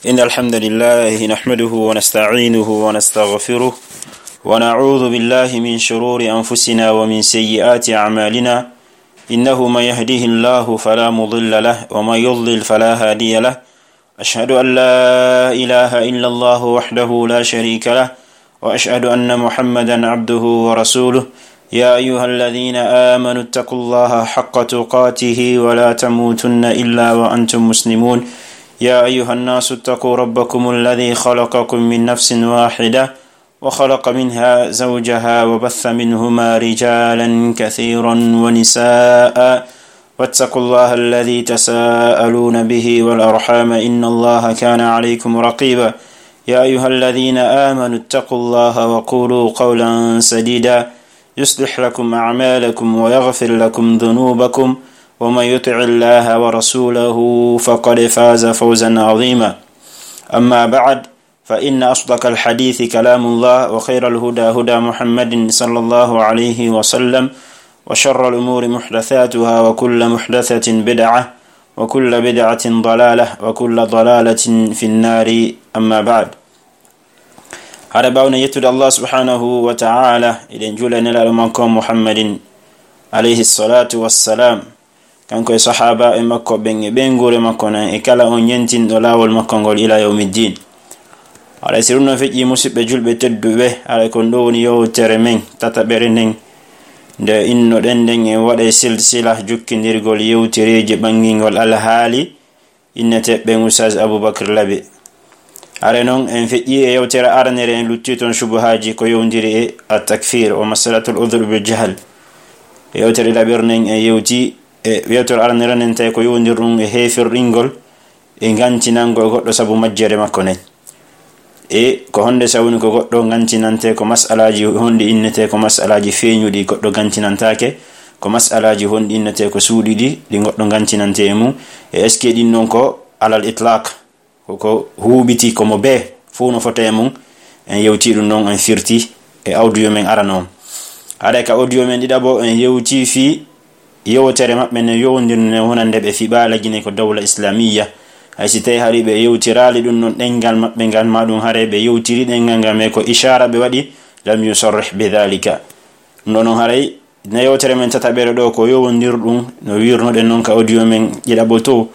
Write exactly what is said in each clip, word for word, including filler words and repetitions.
إن الحمد لله نحمده ونستعينه ونستغفره، ونعوذ بالله من شرور أنفسنا ومن سيئات أعمالنا. إنه من يهده الله فلا مضل له، ومن يضلل فلا هادي له. أشهد أن لا إله إلا الله وحده لا شريك له، وأشهد أن محمدا عبده ورسوله. يا أيها الذين آمنوا اتقوا الله حق تقاته ولا تموتن إلا وأنتم مسلمون. يا أيها الناس اتقوا ربكم الذي خلقكم من نفس واحدة وخلق منها زوجها وبث منهما رجالا كثيرا ونساء، واتقوا الله الذي تساءلون به والأرحام، إن الله كان عليكم رقيبا. يا أيها الذين آمنوا اتقوا الله وقولوا قولا سديدا، يصلح لكم أعمالكم ويغفر لكم ذنوبكم، ومن يطع الله ورسوله فقد فاز فوزا عظيما. أما بعد، فإن أصدق الحديث كلام الله، وخير الهدى هدى محمد صلى الله عليه وسلم، وشر الأمور محدثاتها، وكل محدثة بدعة، وكل بدعة ضلالة، وكل ضلالة في النار. أما بعد. Hara ɓawna yettude Allah subhanahu wa ta'ala, eɗen juula e nelaaɗo makko Muhammadin alayhi salatu wassalam. Kanko e sahaabaaɓe makko ɓen e ɓeynguure makko nden e kala on yentinɗo laawol makko ngol ila yawmiddin. Haray si ɗum ɗon feƴƴi, musidɓe julɓe tedduɓe, haray ko ɗoo woni yewtere men tataɓere nden, nde innoɗen nden en waɗay silsila jokkindirgol yewtereeji ɓanngingol alhaali inneteeɓe ɓen Oustaz Aboubacry Labe. Hare non, en feƴƴi e yewtere aranere, en lutti ton shubuhaaji ko yowndiri e at-takfir wa masalatul udhr bil jahl. E yewtere ɗiɗaɓere nden, en yewti e yewtere aranere nden tawi ko yowndiri ɗum e heefirɗingol e gantinangol goɗɗo sabu majjere makko nden. E ko honde sabu ni ko goɗɗo gantinante ko masalaaji honɗi innete ko masalaaji feeñuɗi, goɗɗo gantinantaake ko masalaaji honɗi innete ko suuɗiɗi ɗi goɗɗo gantinante e mum. E est-ce que ɗin non ko alal itlaq? Ko, ko huuɓiti, ko mo bee fow no fota e mum. En yewti ɗum ɗon, en firti e audio men arano on. Haray ka audio men ɗiɗaɓo, en yewti fii yewtere maɓɓe nde yowondirnde wonande ɓe fii ɓaala Gine ko dawla islamiyya. Hay si tawi hari ɓe yewtiraali ɗum ɗon ɗengal maɓɓe ngal, ma ɗum haray ɓe yewtiri ɗengal ngal, mais ko ishaara ɓe waɗi, lam yusarrih bi dhalika. Ɗum ɗon haray Nde yewtere men tataɓere ɗoo ko yowondirɗum, no wiirnoɗen non ka audio men ɗiɗaɓo to,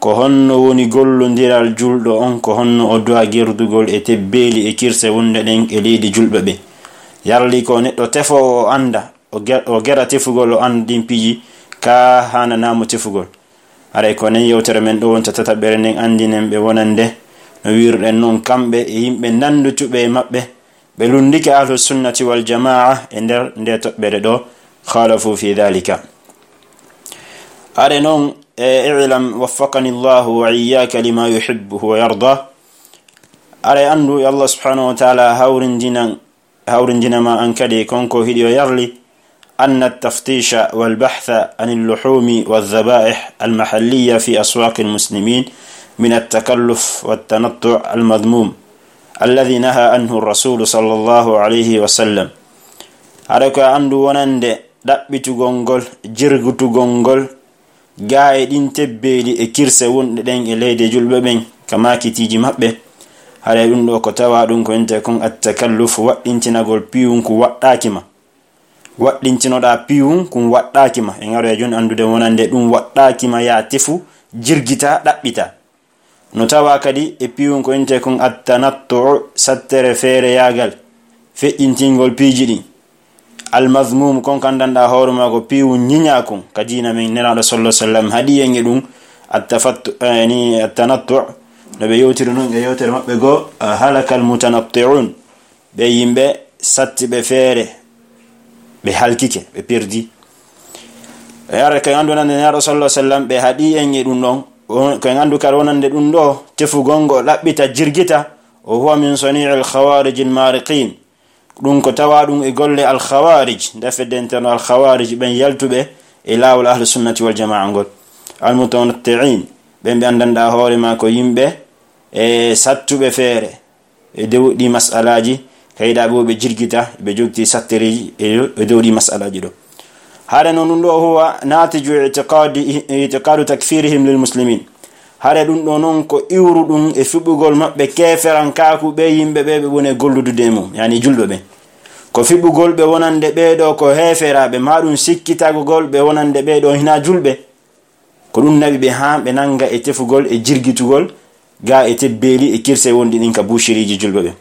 ko honno woni gollondiral julɗo on, ko honno o du'a gerdugol e tebbeeli e kirse wonde ɗen e leydi julɓe ɓe. Yarli ko neɗɗo tefoowo o annda, o ge-, o gera tefugol, o annda ɗin piiji, ka haananaa mo tefugol. Haray ko nden yewtere men ɗoo wonta tataɓere nden anndinen ɓe wonande, no wiirɗen non, kamɓe e yimɓe nanndutuɓe e maɓɓe, ɓe lunndike Ahlu Sunnati wal Jamaa e nder nde toɓɓere ɗoo, khalafu fi dhalika. Are non, e, i'lam waffaqani Allahu wa iyyaka lima yuhibbu wa yarda. Are anndu, yo Allah subhanahu wa ta'ala hawrindinan, hawrindina ma an kadi kon ko hiɗi o yarli, أن التفتيش والبحث عن اللحوم والذبائح المحلية في أسواق المسلمين من التكلف والتنطع المذموم الذي نهى عنه الرسول صلى الله عليه وسلم. Haray ko anndu wonande ɗaɓɓitugol ngol, jirgitugol ngol, gaa e ɗin tebbeeli e kirse wonɗe ɗen e leyɗe julɓe ɓen, ka maakitiiji maɓɓe. Haray ɗum ɗoo ko tawa ɗum ko innte kon at-takalluf, waɗɗintinagol piwun ku waɗɗaaki ma. Waɗɗintinoɗaa piwun kun waɗɗaaki ma. En aroya jooni anndude wonande ɗum waɗɗaaki ma, yaa tefu, jirgitaa, ɗaɓɓitaa. No tawa kadi e piwun ko innte kon at-tanattu'u, sattere feereyaagal, feƴƴintingol piiji ɗin. Al-mazmum, kon kan danɗa hoore maa ko piwun ñiñaa kun ka diina men, Nelaaɗo sallallahu alaihi wasallam haɗi en e ɗum. At-tafattu-, eh, ni at-tanattu', no ɓe yewtiri non e yewtere maɓɓe goo, eh, halakal mutanatti'un. Ɓe yimɓe sattiɓe feere, ɓe halkike, ɓe perdi. E ara ko en anndu wonande Nelaaɗo sallallahu alaihi wasallam, ɓe haɗi en e ɗum ɗon. O-, ko en anndu kadi wonande ɗum ɗoo, tefugol ngo ɗaɓɓita, jirgita, o huwa min sani'il khawarijil mariqin. Ɗum ko tawa ɗum e golle al khawarij, nde fedde interno al khawarij, ɓen yaltuɓe e laawol Ahlu Sunnati wal Jamaa ngol. Al mutanatti'in, ɓen ɓe anndanɗaa hoore maa ko yimɓe e sattuɓe feere. E dow ɗi mas'alaaji, kayɗa ɓe, ɓe jirgita, ɓe jogti sattereeji e, e dow ɗi mas'alaaji ɗoo. Hare non ɗum ɗoo huwa natiju i'tiqadi, i'tiqadu takfirihim lil muslimin. Hare ɗum ɗo noon ko iwruɗum e fiɓugol maɓɓe keeferankaaku ɓe yimɓe ɓe ɓe woni e golludude e mum, yani julɓe ɓen. Ko fiɓugol ɓe wonande ɓee ɗo ko heeferaaɓe, maa ɗum sikkitagol ɓe wonande ɓee ɗo hinaa julɓe. Ko ɗum naɓi ɓe haa ɓe nannga e tefugol e jirgitugol ga e tebbeeli e kirse wonɗi ɗin ka buushiriiji julɓe ɓen.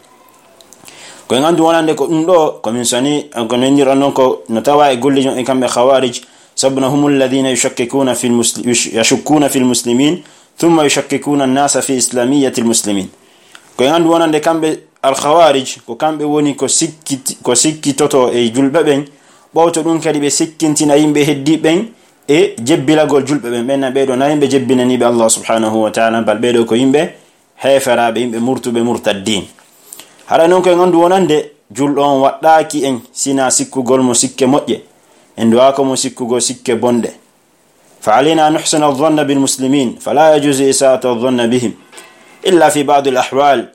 Ko en anndu wonande ko ɗum ɗo, ko min soni, ko nenndirɗon noon ko no tawa e golleeji maɓɓe kamɓe Khawarij, sabu na humul ladina yushakkikuna fil musli-, yush-, yashukkuna fil muslimin, thumma yushakkikuna an-nasa fi islamiyati al-muslimin. Ko en anndu wonande kamɓe al-Khawarij, ko kamɓe woni ko sikkiti-, ko sikkitoto e julɓe ɓen, ɓawto ɗum kadi ɓe sikkintina yimɓe heddi ɓen e jebbilagol julɓe ɓen. Ɓen na ɓee ɗo na yimɓe jebbinaniiɓe Allah subhanahu wa ta'ala, bal ɓee ɗo ko yimɓe heeferaaɓe, yimɓe murtuɓe, murtaddiin. Haray noon ko en anndu wonande julɗo on waɗɗaaki en sina sikkugol mo sikke moƴƴe, en duwaako mo sikkugol sikke bonɗe. Fa alayna an nuhsina adh-dhanna bil muslimin, fala yajuzu isa'atu adh-dhanna bihim illa fi ba'd al-ahwal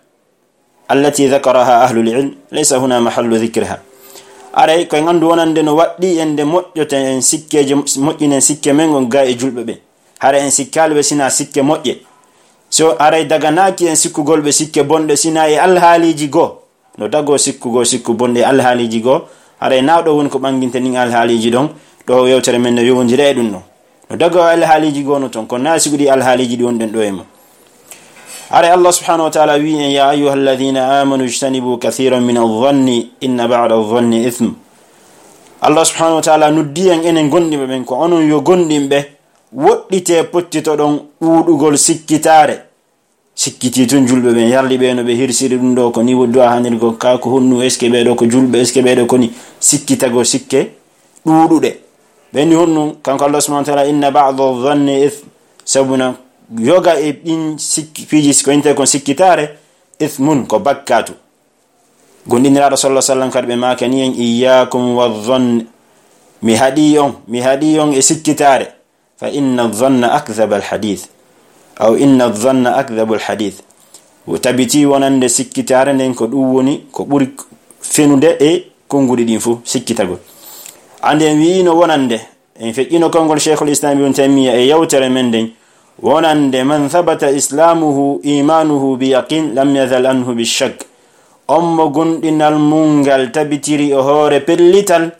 allati dhakaraha ahlul ilm, laysa huna mahallu dhikriha. Aray ko en anndu wonande no waɗɗi en nde moƴƴoten en sikkeeje, moƴƴinen sikke men on ga e julɓe ɓe. Hara en sikkaali ɓe sina sikke moƴƴe. So aray daganaaki en sikkugol ɓe sikke bonɗe sina e alhaaliiji goo. No dagoo sikkugol sikku bonɗe e alhaaliiji goo. Haray na ɗo woni ko ɓanginta ɗin alhaaliiji ɗon. Ɗo yewtere men no yowondira e ɗum ɗon. No dagoo alhaaliiji goo no ton, kono na sigo ɗi alhaaliiji ɗi wonɗen ɗo e mum. Haray Allah subhanahu wa ta'ala wi en, "Ya ayyuha alladhina amanu ijtanibu kathiran min adh-dhanni inna ba'da adh-dhanni ithm." Allah subhanahu wa ta'ala noddi en enen gondimɓe ɓen, ko onon yo gondimɓe, woɗɗite pottitoɗon ɗuuɗugol sikkitaare. Sikkiti tun julɓe ɓen, yarli ɓe no ɓe hirsiri ɗum ɗo, ko ni woddu a hanirgo ka, ko honnu, est-ce que ɓee ɗo ko julɓe, est-ce que ɓee ɗo ko ni, sikkitago sikke ɗuuɗuɗe. Ɓe ni honnu, kanko Allah subhanahu wa ta'ala, "Inna ba'da dhanni ithm." Sabuna yoga e ɗin sikki, piiji ko inte kon sikkitaare, ithmun, ko bakkatu. Gondiniraaɗo sallallahu alaihi wasallam kadi ɓe maaka ni en, "Iyyakum wa dhann." Mi haɗi on, mi haɗi on e sikkitaare. "Fa inna dhanna akdhabal hadith." Aw inna dhanna akdhabul hadith. Wo tabiti wonande sikkitaare nden ko ɗum woni ko ɓuri fenude e konnguɗi ɗin fof, sikkitagol. Ande en wi'ino wonande, en feƴƴino konngol Sheikhul Islam Ibn Taymiyyah e yewtere men nden, wonande, "Man thabata islamuhu imanuhu bi yaqin lam yazal anhu bi shakk." On mo gomɗinal mum ngal tabitiri o hoore pellital,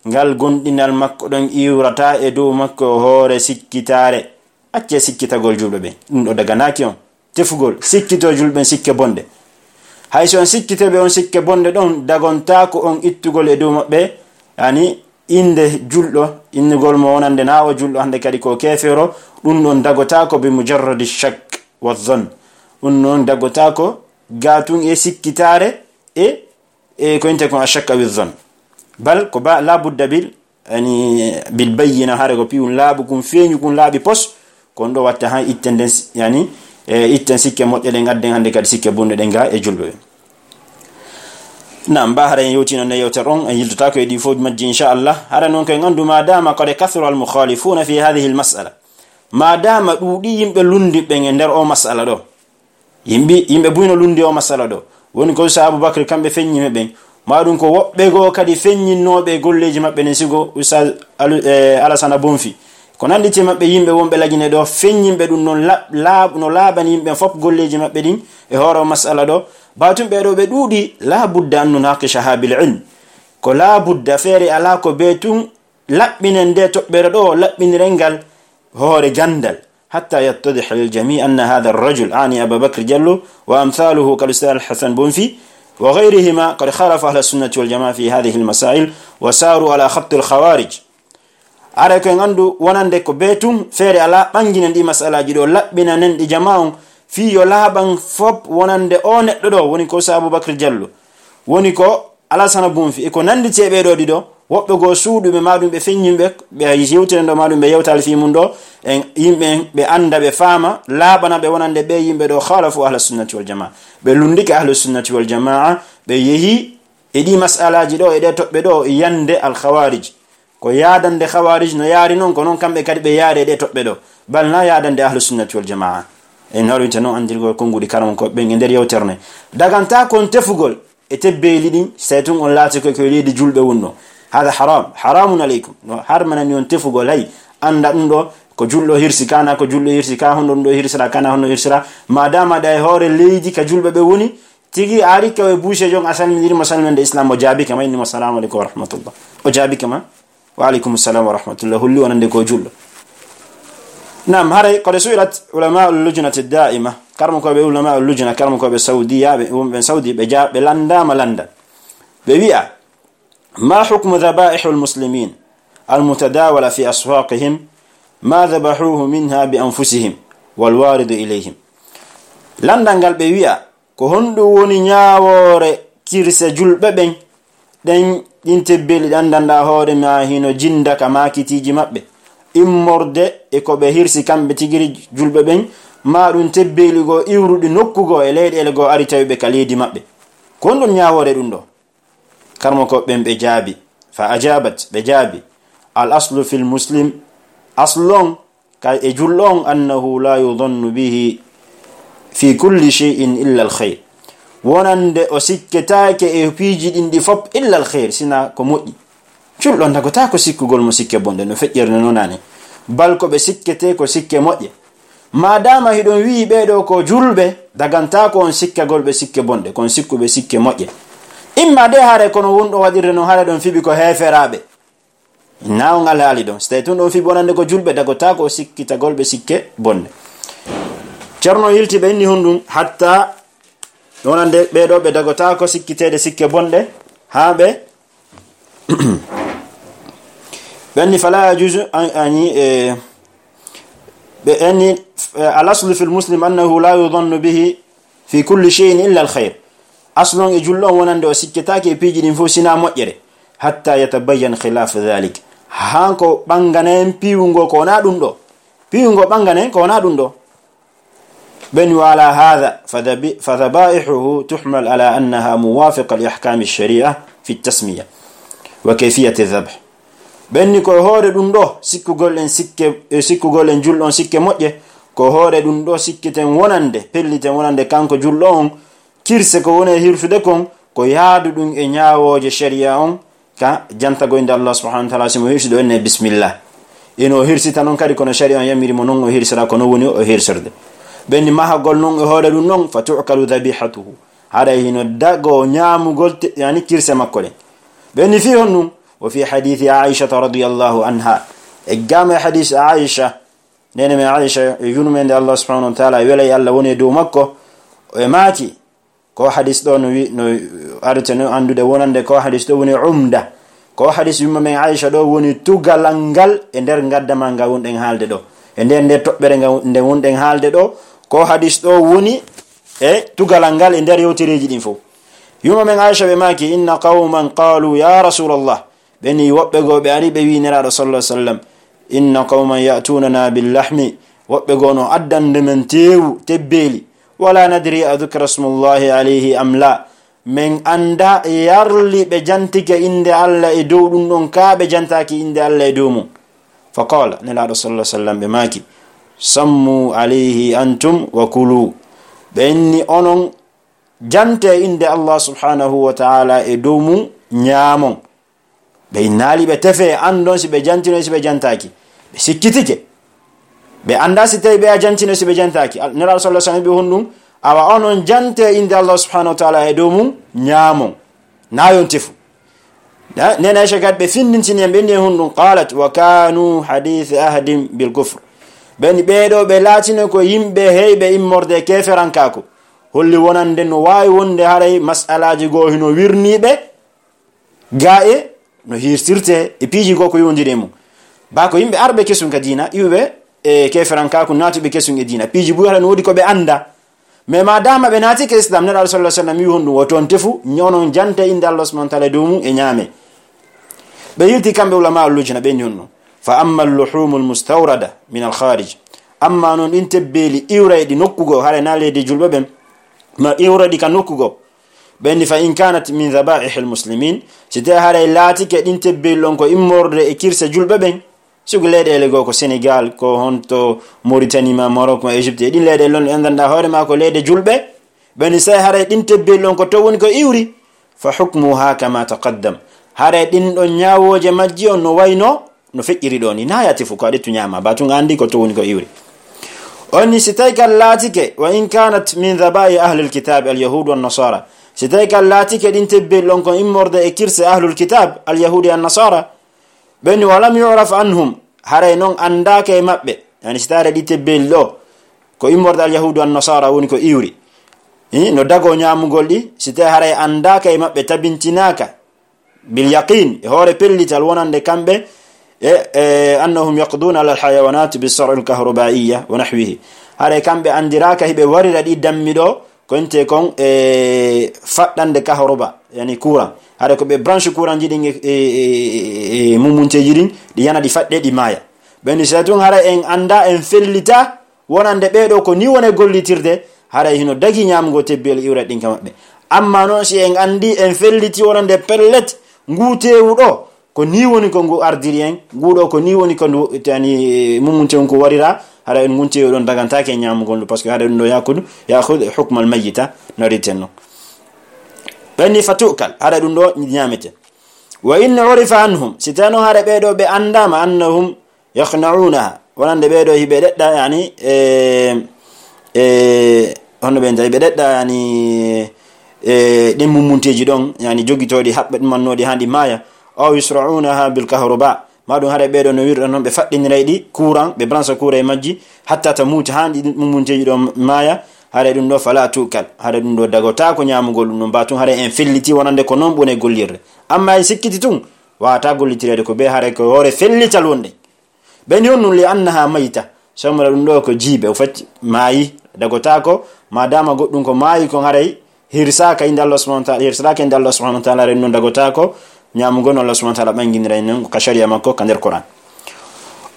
ngal gomɗinal makko ɗon iwrata e dow makko o hoore sikkitaare. Accee sikkitagol julɓe ɓen. Ɗum ɗo daganaaki on. Tefugol, sikkito julɓe ɓen sikke bonɗe. Hay so on sikkitee ɓe on sikke bonɗe ɗon, dagontaako on ittugol e dow maɓɓe, yani, innde julɗo, innugol mo wonande na o julɗo, hannde kadi ko keefeero, ɗum ɗon dagotaako bi mujarradi shakk wa dhann. Ɗum ɗon dagotaako gaa tun e sikkitaare e e ko inte kon ashakka wi zon. Bal ko ba, la budda bil, yani, bil bayyina, hare ko piwun laaɓu kun, feeñu kun laaɓi pos, kon ɗo watta han itten den, yani, e itten sikke moƴƴe ɗen, adden hannde kadi sikke bonɗe ɗen ga e julɓe ɓe. Naam, ba hara en yewtino nde yewtere on, en yiltotaako e ɗi fof majji, inchallah. Hara noon ko en anndu, ma dama qad kathura al mukhalifuna fi hadhihi al mas'ala. Ma dama ɗuuɗi yimɓe lundi ɓen e nder o mas'ala ɗo. Yimɓe, yimɓe buy no lundi o masala ɗo. Woni ko Ustaz Abubakar kamɓe feññi ɓen. Ma ɗum ko woɓɓe goo kadi feññinnooɓe e golleeji maɓɓe nen, sigo Ustaz Alu-, eh, Alasana Bonfi. Ko nannditi maɓɓe yimɓe wonɓe Lagine ɗo, feññinɓe ɗum noon laaɓ-, laaɓ-, no laaɓani yimɓe fof golleeji maɓɓe ɗin e hoore o masala ɗo. Baatum ɓee ɗo ɓe ɗuuɗi, laa budda an nunaqishaha bil ilm. Ko laa budda feere alaa ko bee tun laɓɓinen nde toɓɓere ɗo, laɓɓiniren ngal hoore ganndal. حتى يتضح للجميع أن هذا الرجل، أعني أبا بكر جلو وأمثاله كالأستاذ الحسن بونفي وغيرهما، قد خالف أهل السنة والجماعة في هذه المسائل وساروا على خط الخوارج. Aray ko en anndu wonande ko bee tun feere alaa ɓannginen ɗi masalaaji ɗo, laɓɓinanen ɗi jamaa on, fii yo laaɓan fof wonande o neɗɗo ɗo woni ko Sa Abubakar Jallo. Woni ko Alasana Bonfi, e ko nannditi e ɓee ɗoo ɗiɗo, woɓɓe goo suuɗuɓe, maa ɗum ɓe feññinɓe, ɓe yewtire ɗo, maa ɗum ɓe yewtaali fii mum ɗo, en yimɓe en, ɓe annda, ɓe faama, laaɓana ɓe wonande ɓee yimɓe ɗo, khalafu ahla sunnati wal jamaa. Ɓe lunndike ahlu sunnati wal jamaa, ɓe yehi e ɗii masalaaji ɗo, e ɗee toɓɓe ɗo, e yande al khawarij. Ko yaadande khawarij no yaari noon, ko noon kamɓe kadi ɓe yaari e ɗee toɓɓe ɗo. Bal na yaadande ahlu sunnati wal jamaa. En horwinte noon anndirgol konnguɗi karamokooɓe ɓen e nder yewtere nde. Dagantaa kon tefugol e tebbeeli ɗin, sey tun on laati ko, ko e leydi julɓe wonno. Hada haram, haramun aleykum. No harmanani on tefugol, hay, annda ɗum ɗo, Ko julɗo hirsi ka, na ko julɗo hirsi ka, honɗo ɗum ɗo hirsira ka, na honɗo hirsira. Madama ɗa e hoore leydi ka julɓe ɓe woni, tigi ari ka e boucher jon, a salminiri mo salminde Islam, o jaabi kama, inni mo, "Salamu alaikum wa rahmatullah." O jaabi kama, "Wa alaikum salam wa rahmatullah." Holli wonande ko julɗo. Naam, haray, qad su'ilat ulama'ul lujnati da'ima. Karmo ko ɓe ulama'ul lujna, karmo ko ɓe Saudiya, ɓe, wonɓe Saudi, ɓe ja-, ɓe landama landa. Ɓe wi'a, "ما حكم ذبائح المسلمين المتداولة في أسواقهم؟ ما ذبحوه منها بأنفسهم والوارد إليهم؟" Landal ngal ɓe wi'a, ko honɗum woni ñaawoore kirse julɓe ɓen? Ɗen, ɗin tebbeeli ɗan danɗa hoore ma hino jinda ka maakitiiji maɓɓe. Immorde e ko ɓe hirsi kamɓe tigiri julɓe ɓen, ma ɗum tebbeeli goo iwruɗi nokku goo e leyɗeele goo ari tawi ɓe ka leydi maɓɓe. Ko honɗum ñaawoore ɗum ɗo? Karmo ko ɓen ɓe jaabi, fa ajabat, ɓe jaabi, "Al aslu fil muslim, aslu on ka e julɗo on, annahu la yudhannu bihi fi kulli shay'in illa al khayr." Wonande o sikketaake e piiji ɗin ɗi fop illa al khayr, sina ko moƴƴi. Julɗo on dagotaako sikkugol mo sikke bonɗe no feƴƴere no nonani. Bal ko ɓe sikkete ko sikke moƴƴe. Maadaama hiɗon wi'i ɓee ɗoo ko julɓe, dagantaako on sikkagol ɓe sikke bonɗe, kon sikkuɓe sikke moƴƴe. Imma de hare kono wonɗo waɗirde non hare ɗon fiɓi ko heeferaaɓe. Na on alhaali ɗon. Si tawi tun ɗon fiɓi wonande ko julɓe, dagotaako sikkitagol ɓe sikke bonɗe. Ceerno yilti ɓe inni honɗum, hatta wonande ɓee ɗoo ɓe dagotaako sikkiteede sikke bonɗe, haa ɓe ɓenni fala yajuzu an, ani, e, ɓe enni, e, al aslu fil muslim annahu la yudhannu bihi fi kulli shay'in illa al khayr. Aslu on e julɗo on wonande o sikketaake e piiji ɗin fof sina moƴƴere. Hatta yatabayyan khilaf dhalik. Haa ko ɓangana en piiwungo ko wona ɗum ɗo. Piiwungo ɓangana en ko wona ɗum ɗo. Ɓen wala hadha, fa dhabi-, fa dhabaihuhu tuhmal ala annaha muwafiqa li ahkami sharia fi tasmiya wa kayfiyati dhabh. Ɓen ni ko e hoore ɗum ɗo, sikkugol en sikke, e sikkugol en julɗo on sikke moƴƴe, ko e hoore ɗum ɗo sikkiten wonande, pelliten wonande kanko julɗo on, kirse ko woni e hirsude kon, ko yaadu ɗum e ñaawooje sharia on, ka jantagol innde Allah subhanahu wa ta'ala, si mo hirsi ɗo enne bismillah. Ino hirsita non kadi kono sharia on yamiri mo non o hirsira, ko non woni o hirsirde. Ɓen ni mahagol non e hoore ɗum non, fa tu'kalu dhabihatuhu. Haray hino dago ñaamugol te-, yani kirse makko ɗen. Ɓen ni fii honɗum? Wa fi hadithi Aisha radiyallahu anha. E gama e hadith Aisha, nene men Aisha, e yurmende Allah subhanahu wa ta'ala, e welay Allah woni e dow makko, e maaki, ko hadis ɗo no wi-, no arete no anndude wonande ko hadis ɗo woni umda. Ko hadis yumma men Aisha ɗo woni tugalal ngal e nder gaddama nga wonɗen haalde ɗo. E nder nde toɓɓere nga, nde wonɗen haalde ɗo, ko hadis ɗo woni e tugalal ngal e nder yewtereeji ɗin fof. Yumma men Aisha ɓe maaki, "Inna qawman qalu ya Rasulallah." Ɓe ni woɓɓe goo ɓe ari ɓe wi Nelaaɗo sallallahu alaihi wasallam, "Inna qawman ya'tunana bil lahmi." Woɓɓe goo no addande men teewu, tebbeeli. "Wala nadri a dhukira smullahi alayhi am la." Men annda yarli ɓe jantike innde Allah e dow ɗum ɗon, kaa ɓe jantaaki innde Allah e dow mum. Fa qala, Nelaaɗo sallallahu alaihi wasallam ɓe maaki, "Sammu alayhi antum wa kulu." Ɓe inni onon jante innde Allah subhanahu wa ta'ala e dow mum, ñaamon. Ɓe innaali ɓe tefe, anndon si ɓe jantino, si ɓe jantaaki. Ɓe sikkitike. Ɓe annda si tawi ɓe a jantino, si ɓe jantaaki. Al-, Nelaaɗo sallallahu alaihi wasallam ɓe honɗum, awa onon jante innde Allah subhanahu wa ta'ala e dow mum, ñaamon. Na yon tefu. Na, nena Aisha gad ɓe findintini en, ɓe ni e honɗum, qalat, "Wa kanu hadith ahdin bil kufr." Ɓe ni ɓee ɗoo ɓe laatino ko yimɓe heyɓe immorde e keeferankaaku. Holli wonande no waawi wonde haray mas'alaaji goo hino wirniiɓe, gaa e no hirsirte e piiji goo ko yowndiri e mum. Ba ko yimɓe arɓe kesun ka diina, iwɓe e keeferankaaku naatuɓe kesun e diina. Piiji buy haɗa no woodi ko ɓe annda. Mais ma dama ɓe naati ka Islam, Nelaaɗo sallallahu alaihi wasallam wi honɗum, o toon tefu, ñonon jante innde Allah subhanahu wa ta'ala e dow mum e ñaame. Ɓe yilti kamɓe ulama al-lujna, ɓe ni honɗum. Fa amma al-luhumul mustawrada min al-kharij. Amma non ɗin tebbeeli iwrayɗi nokku goo, haɗa na leydi julɓe ɓen, ma iwrayɗi ka nokku goo. Ɓe ni, "Fa in kanat min dhabaihil muslimin", si tawi haray laatike ɗin tebbeeli ɗon ko immorde e kirse julɓe ɓen, sibu leyɗeele goo ko Senegal, ko honto Mauritanie ma Maroc ma Égypte, e ɗin leyɗeele ɗon ɗe anndanɗaa hoore ma ko leyɗe julɓe, ɓe ni, si tawi haray ɗin tebbeeli ɗon ko to woni ko iwri, fa hukmuha kama taqaddam. Haray ɗin ɗon ñaawooje majji on no wayno no feƴƴiri ɗo ni, na yati fu ko a ɗettu ñaama, ba tun a anndi ko to woni ko iwri. On ni si tawi kan laatike, wa in kanat min dhaba'i ahlil kitabi al yahudu wan nasara, si tawi kan laatike ɗin tebbel ɗon ko immorde e kirse ahlul kitab al yahudi an nasara, ɓen walam yuraf anhum, haray non anndaaka e maɓɓe, yani si tawi ɗi tebbel ɗo ko immorde al yahudu an nasara woni ko iwri, eh, no dago ñaamugol ɗi, si tawi haray anndaaka e maɓɓe, tabintinaaka bil yaqin, e hoore pellital wonande kamɓe, e, e, annahum yaqduna ala alhayawanat bisar'i alkahrubaiya wa nahwihi. Haray kamɓe anndiraaka hiɓe warira ɗi dammi ɗo, ko inte kon e faɗɗande kahruba, yani courant. Haray ko ɓe branche courant ji ɗin e, e, e, e, e mumunteeji ɗin, ɗi yana ɗi faɗɗe, ɗi maaya. Ɓen ni si tun haray en annda, en fellita, wonande ɓee ɗoo ko nii woni gollitirde, haray hino dagi ñaamugo tebbel iwra ɗin ka maɓɓe. Amma non si en anndi, en felliti wonande pellet, nguu teewu ɗoo, ko nii woni ko ngu ardiri en, nguu ɗoo ko nii woni ko ndu, yani, mumunte on ko warira, haray ngun teewu ɗon dagantaake en ñaamugol ndu, parce que haray ɗum ɗoo yaakudu, yaakudu hukmal mayyita, no riten non. Ɓen ni fa tu'kal, haray ɗum ɗoo ñaamete. Wa in urifa anhum, si tawii non haray ɓee ɗoo ɓe anndaama, annahum yaqna'unaha, wonande ɓee ɗoo hiɓe ɗeɗɗa, yani, e, e, honno ɓe njahi ɓe ɗeɗɗa, yani, e, ɗin mummunteeji ɗon, yani, jogitooɗi, haɓɓe ɗumannooɗi haa ɗi maaya, aw yusra'unaha bil kahruba, ma ɗum haray ɓee ɗoo no wirra non ɓe faɗɗiniray ɗi courant, ɓe branche courant e majji, hatta tamuta, haa ɗi mummunteeji ɗon maaya, haray ɗum ɗoo fala tu'kal, haray ɗum ɗoo dagotaako ñaamugol ɗum ɗon, ba tun haray en felliti wonande ko non ɓune gollirde. Amma en sikkiti tun, waawataa gollitireede ko bee haray ko hoore fellital wonde. Ɓe ni on nun li annaha mayta, sabu ɗum ɗoo ko jiibe, o fati maayi, dagotaako, ma dama goɗɗum ko maayi kon haray hirsaaka innde Allah subhanahu wa ta'ala, hirsaaka innde Allah subhanahu wa ta'ala, ren non dagotaako ñaamugol no Allah subhanahu wa ta'ala ɓanginira en non ka sharia makko ka nder Qur'an.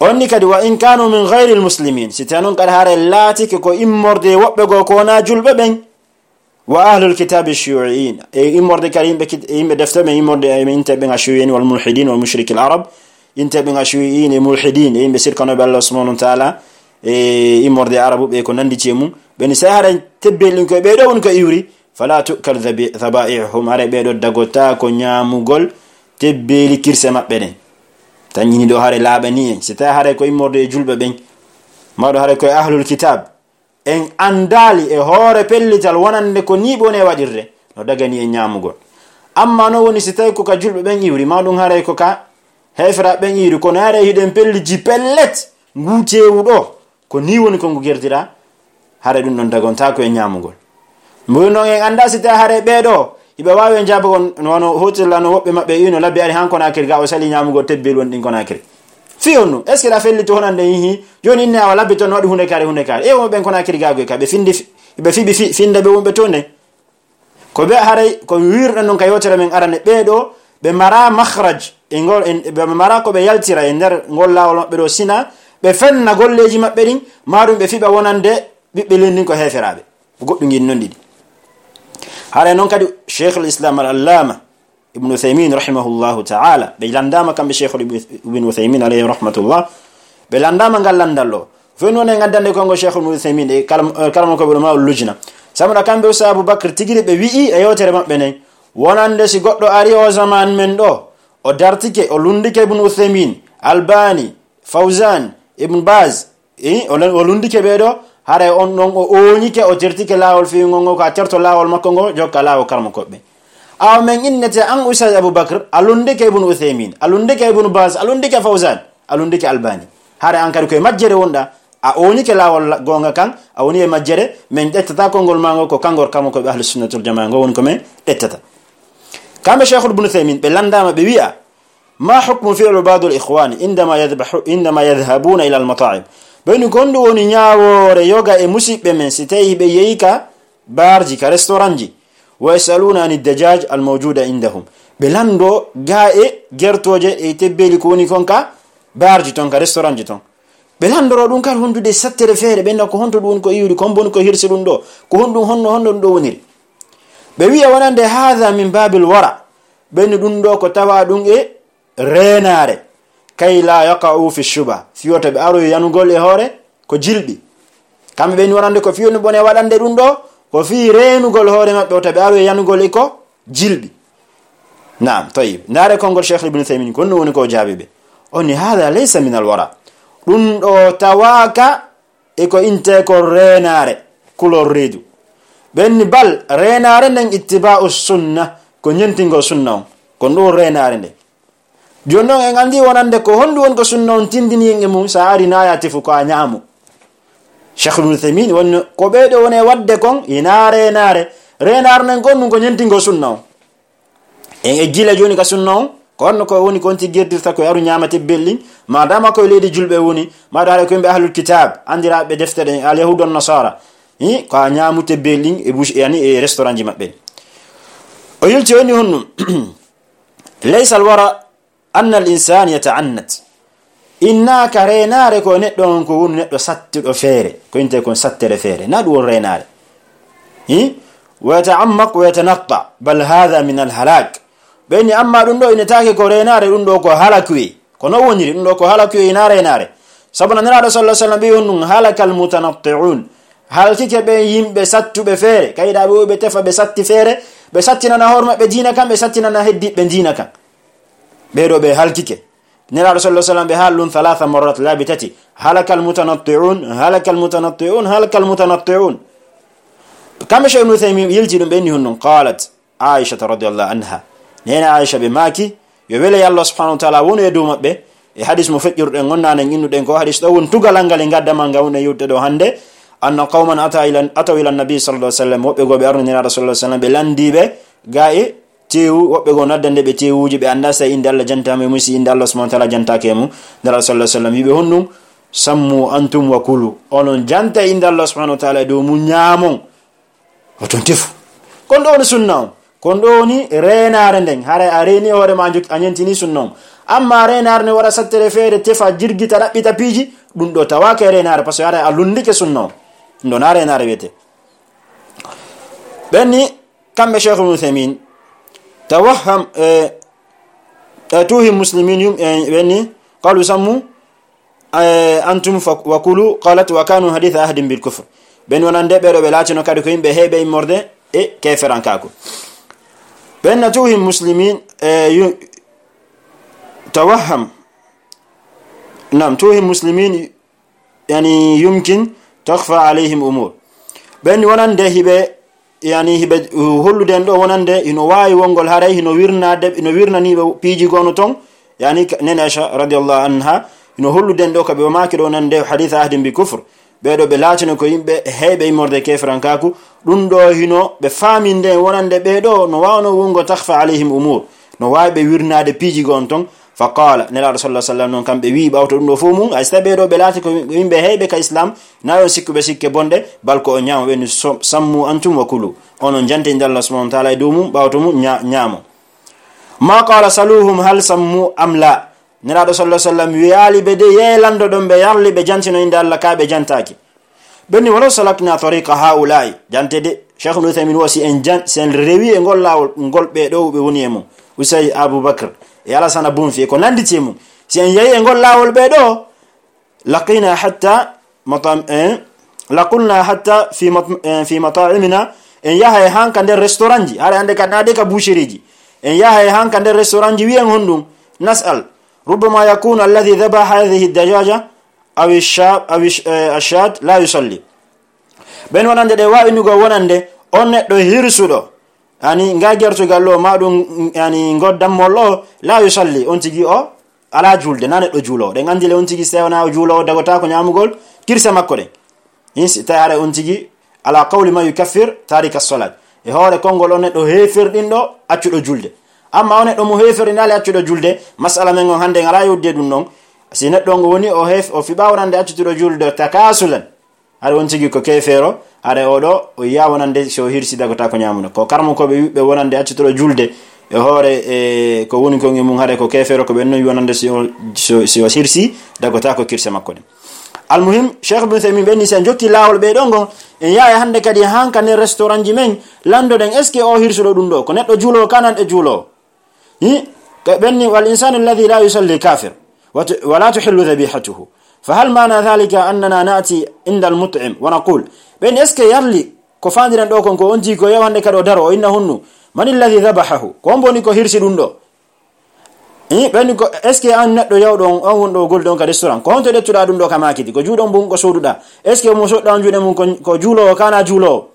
On ni kadi, wa in kanu min ghayril muslimin, si tawii non kadi haray laatike ko immorde woɓɓe goo ko wonaa julɓe ɓen, wa ahlul kitabi shiyu'iyyin, e immorde kadi yimɓe kit-, yimɓe defte ɓen, immorde e inte ɓen ashiyu'iyyin wal mulhidin wal mushrikil arab, inte ɓen ashiyu'iyyin e mulhidin e yimɓe sirkanooɓe Allah subhanahu wa ta'ala, e immorde arabu ɓe ko nanditi e mum, ɓe ni si haray tebbel ɗin ko e ɓee ɗoo woni ko iwri, fala tu'kal dhabi-, dhaba'ihuhum, haray ɓee ɗoo dagotaako ñaamugol tebbeeli kirse maɓɓe ɗen. Tan ñini ɗoo haray laaɓani en, si tawii haray ko immorde e julɓe ɓen, ma ɗum haray ko e ahlul kitab, en anndaali e hoore pellital wonande ko nii ɓe woni e waɗirde, no dagani en ñaamugol. Amma non woni si tawii ko ka julɓe ɓen iwri, ma ɗum haray ko ka heeferaaɓe ɓen iwri, kono haray hiɗen pelliti pellet, nguu teewu ɗoo, ko nii woni ko ngu gertira, haray ɗum ɗon dagontaako e ñaamugol. Mboy non en anndaa si tawii haray ɓee ɗoo, hiɓe waawi en jaabagol, no wano hotirla no woɓɓe maɓɓe iwno labbi ari han Konaakiri ga, o sali ñaamugol tebbel woni ɗin Konaakiri. Fii honɗum? Est-ce que ɗa fellito honande hihi? Jooni inne awa labbi ton no waɗi hunde kaari, hunde kaari. E wonɓe ɓen Konaakiri gaagu e ka ɓe findi fi-, ɓe fiɓi fi-, finda ɓe wonɓe to nde. Ko ɓe haray, ko wiirɗen non ka yewtere men arane, ɓee ɗoo, ɓe mara makhraj, e ngol, e, ɓe mara ko ɓe yaltira e nder ngol laawol maɓɓe ɗoo, sina ɓe fenna golleeji maɓɓe ɗin, maa ɗum ɓe fiɓa wonande ɓiɓɓe leydi ndin ko heeferaaɓe. Ko goɗɗum ngin non ɗiɗi. Haray non kadi Sheikhul Islam al-Allama Ibn Uthaymin rahimahullahu ta'ala, ɓe lanndaama kamɓe Sheikhul Ibn, Ibn Uthaymin alayhi rahmatullah, ɓe lanndaama ngal lanndal ɗoo. Fewni wonde ngaddande konngol Sheikhul Ibn Uthaymin e karam-, eh, karamokooɓe Ulama'ul Lujna. Sabu na kamɓe Ustaz Abu Bakr tigi ɓe wi'i e yewtere maɓɓe nden, wonande si goɗɗo ari o zaman men ɗoo, o dartike, o lunndike Ibn Uthaymin, Albani, Fawzan, Ibn Baz, i, o lon-, o lunndike ɓee ɗoo, haray on ɗon o ooñike, o tertike laawol fewngol ngol, ko a terto laawol makko ngol, jokka laawol karamokooɓe. Awa men innete an Ustaz Abu Bakr, a lunndike Ibn Uthaymin, a lunndike Ibn Baz, a lunndike Fawzan, a lunndike Albani. Haray an kadi ko e majjere wonɗa, a ooñike laawol la-, goonga kan, a woni e majjere, men ƴettata konngol maa ngol, ko kanngol karamokooɓe Ahlus Sunnati wal Jamaa ngol woni ko men ƴettata. Kamɓe Sheikhul Ibn Uthaymin, ɓe lanndaama, ɓe wi'a, ما حكم فعل بعض الإخوان عندما يذبح، عندما يذهبون إلى المطاعم؟ Ɓe ni ko honɗum woni ñaawoore yoga e musiɓɓe men si tawii ɓe yehi ka baarji, ka restaurantji? ويسألون عن الدجاج الموجود عندهم. Ɓe lanndo gaa e gertooje e tebbeeli ko woni kon ka baarji ton, ka restaurantji ton. Ɓe lanndoro ɗum kadi hondude sattere feere, ɓe nda ko honto ɗum woni ko iwri, ko hombo woni ko hirsi ɗum ɗoo, ko honɗum, honno, honno ɗum ɗoo woniri. Ɓe wi'a wonande هذا من باب الورع. Ɓe ni ɗum ɗoo ko tawa ɗum e reenaare, كي لا يقعوا في الشبهة, fii wota ɓe aroy yanugol e hoore ko jilɓi. Kamɓe ɓe ni wonande ko fii woni ɓone waɗande ɗum ɗoo, ko fii reenugol hoore maɓɓe wota ɓe aroy yanugol e ko jilɓi. Naam, tayyib. Ndaare konngol Cheikh Ibn Uthaymin, ko honno woni ko o jaabi ɓe. O ni, "Hada laysa min alwara." Ɗum ɗo tawaaka e ko inte ko reenaare, kulol reedu. Ɓen ni, "Bal, reenaare nden ittiba'u sunna, ko ñentingol sunna on. Ko ɗum reenaare nden." Jooni non en anndi wonande ko honɗum woni ko sunna on tindini en e mum, sa ari na ya tefu ko a ñaamu. Cheikh Ibn Uthaymin woni ko ɓee ɗo woni e waɗde kon, ina reenaare. Reenaare nden kon ɗum ko ñentingol sunna on. En e gila jooni ka sunna on, ko honno ko woni ko on tigi gerdirta ko e aru ñaama tebbel ɗin, ma dama ko e leydi julɓe woni, ma ɗo haɗa ko yimɓe ahlul kitab, andiraaɓe defte ɗen, al yahudu wan nasara. Hi, ko a ñaamu tebbel ɗin e bouche, yani e restaurant ji maɓɓe. O yilti o ni honɗum. Laysa alwara anna al insan yata'annat. Innaaka reenaare ko neɗɗo on ko woni neɗɗo sattuɗo feere, ko inte kon sattere feere. Na ɗum woni reenaare. Hi? Wa yata'ammaq wa yatanatta. Bal hadha min al halak. Ɓen ni amma ɗum ɗo inetaake ko reenaare, ɗum ɗo ko halakuye. Ko non woniri, ɗum ɗo ko halakuye ina reenaare. Sabu na Nelaaɗo sallallahu alaihi wasallam ɓe honɗum halakal mutanatti'un. Halkike ɓen yimɓe sattuɓe feere, kayɗa ɓe ɓe tefa ɓe satti feere, ɓe sattinana hoore maɓɓe diina kan, ɓe sattinana heddiɓe diina kan. Ɓee ɗo ɓe halkike. Nelaaɗo sallallahu alaihi wasallam ɓe haali ɗum thalatha marrat, laabi tati. Halakal mutanatti'un, halakal mutanatti'un, halakal mutanatti'un. Kamɓe Cheikh Ibn Uthaymin yilti ɗum ɓe ni honɗum. Qalat Aisha radiyallahu anha. Neene Aisha ɓe maaki, yo wele Allah subhanahu wa ta'ala wonu e dow maɓɓe. E hadis mo feƴƴuruɗen on nanen innuɗen ko hadis ɗo woni tugalal ngal e ngaddamal ngal woni e yewtude ɗo hannde. Anna qawman ata ila, ataw ila nabi sallallahu alaihi wasallam. Woɓɓe goo ɓe arno Nelaaɗo sallallahu alaihi wasallam ɓe landiiɓe ga e teewu, woɓɓe goo nodda nde ɓe teewuuji, ɓe annda si innde Allah jantaama e mum, si innde Allah subhanahu wa ta'ala jantaake e mum. Nelaaɗo sallallahu alaihi wasallam wi'i ɓe honɗum, "Sammu antum wa kulu." Onon janta innde Allah subhanahu wa ta'ala e dow mum, ñaamon. Oton tefu. Kon ɗo woni sunna on. Kon ɗo woni reenaare nden. Haray a reeni hoore ma, a jokki, a ñentini sunna on. Amma reenaare ne waɗa sattere feere, tefa, jirgita, ɗaɓɓita piiji, ɗum ɗo tawaaka e reenaare, parce que haray a lunndike sunna on. Ɗum ɗo na reenaare wiyete. Ɓen ni, kamɓe Cheikh Ibn Uthaymin, tawahham, eh, eh, tuuhi muslimin yum, eh, ɓen ni, qalu sammu, eh, antum fa-, wa kulu, qalat wa kanu haditha ahdin bil kufr. Ɓen wonande ɓe ɗo ɓe laatino kadi ko yimɓe heeɓe immorde e keeferankaaku. Ɓen na tuuhi muslimin, eh, yu-, tawahham. Nam, tuuhi muslimin, yani, yumkin takhfa alayhim umur. Ɓen wonande hiɓe, yani, hiɓe, uh, hollude en ɗo wonande hino waawi wongol haray hino wirnade, hino wirnaniiɓe piiji gono ton, yani, ka-, Nene Aisha radiyallahu anha, hino hollude en ɗo ka ɓe maaki ɗo wonande hadith ahdin bi kufr. Ɓee ɗo ɓe laatino ko yimɓe heeɓe immorde keeferankaaku, ɗum ɗo hino ɓe faaminde en wonande ɓee ɗo no waawno wongo takhfa alayhim umur, no waawi ɓe wirnaade piiji goon ton. Fa qaala, Nelaaɗo sallallahu alaihi wasallam noon, kamɓe wi'i ɓawto ɗum ɗo fof mum, hay so tawii ɓee ɗo ɓe laati ko yimɓe heeɓe ka Islam, na on sikkuɓe sikke bonɗe, bal ko on ñaama ɓe ni so-, sammu antum wa kulu. Onon jante innde Allah subhanahu wa ta'ala e dow mum, ɓawto mum ña-, ñaamo. Ma qaala saluhum hal sammu am la. Nelaaɗo sallallahu alaihi wasallam wi'aali ɓe de, yee lanndo ɗon ɓe yarli ɓe jantino innde Allah ka ɓe jantaaki. Ɓe ni, "Walaw salakna tariqa haula'i." Jante de, Cheikh Ibn Uthaymin wo si en jan-, si en rewi e ngol laawol, ngol ɓe ɗo ɓe woni e mum. Usay Abu Bakr, e Alasana Bunfi, e ko nanditi e mum. Si en yehi e ngol laawol ɓe ɗo, laqina hatta matam-, eh, laqulna hatta fi mat-, eh, fi mata'imina, en yaha e hanka nder restaurant ji. Hara hande ka naade ka boucherie ji. En yaha e hanka nder restaurant ji, wi'en honɗum? Nas'al. Rubbama yakunu alladhi dhabaha hadhihi dajaja aw ash-sha-, aw ash-, eh, ash-shat la yusalli. Ɓen wonande ɗe waawi nugo wonande on neɗɗo hirsuɗo, yani, nga gertugal ɗo, ma ɗum, yani, ngo dammol ɗo, la yusalli, on tigi o alaa juulde, na neɗɗo juuloowo. Ɗen anndi le on tigi, si tawii wonaa o juuloowo, dagotaako ñaamugol kirse makko ɗen. Hin si tawii haray on tigi, ala qawli man yukaffir tarika salat. E hoore konngol on neɗɗo heeferɗinɗo accuɗo juulde. Amma on neɗɗo mo heeferɗinaali accuɗo juulde, masala men on hannde en alaa yewtude ɗum ɗon. Si neɗɗo on woni o heef-, o fiɓaa wonande accutuɗo juulde takasulan, hari on tigi ko keefeero, hari o ɗo, o yiya wonande si o hirsi dagotaako ñaamuno. Ko karmo ko ɓe wiɓɓe wonande accutuɗo juulde e hoore, e ko woni kon e mum, hari ko keefeero, ko ɓen non wi wonande si o, si o, si o hirsi dagotaako kirse makko ɗen. Almuhim, Cheikh Ibn Uthaymin ɓen ni, si en jokki laawol ɓe ɗon ngon, en yaha hannde kadi hanka nder restaurant ji men, lanndoɗen, est-ce que o hirsuɗo ɗum ɗo, ko neɗɗo juuloowo, ka nan e juuloowo? Hi? Ka ɓen ni, "Wal insanu alladhi la yusalli kafir, wa tu-, wa la tuhillu dhabihatuhu. Fa hal maana dhalika annana na'ti inda al-mut'im wa naqul?" Ɓen, est-ce que yarli ko faandiren ɗo kon ko on tigi ko yew hannde kadi o daro, o inna honnu? "Man alladhi dhabahahu?" Ko on boni ko hirsi ɗum ɗo? Ɓen ko, est ce que an neɗɗo yawɗo on, on wonɗo golde on ka restaurant, ko honto ƴettuɗa ɗum ɗo ka makidi? Ko juuɗe on mbun ko sooduɗa? Est ce que mo soɗɗa on juuɗe mum ko, ko juuloowo, kana juuloowo?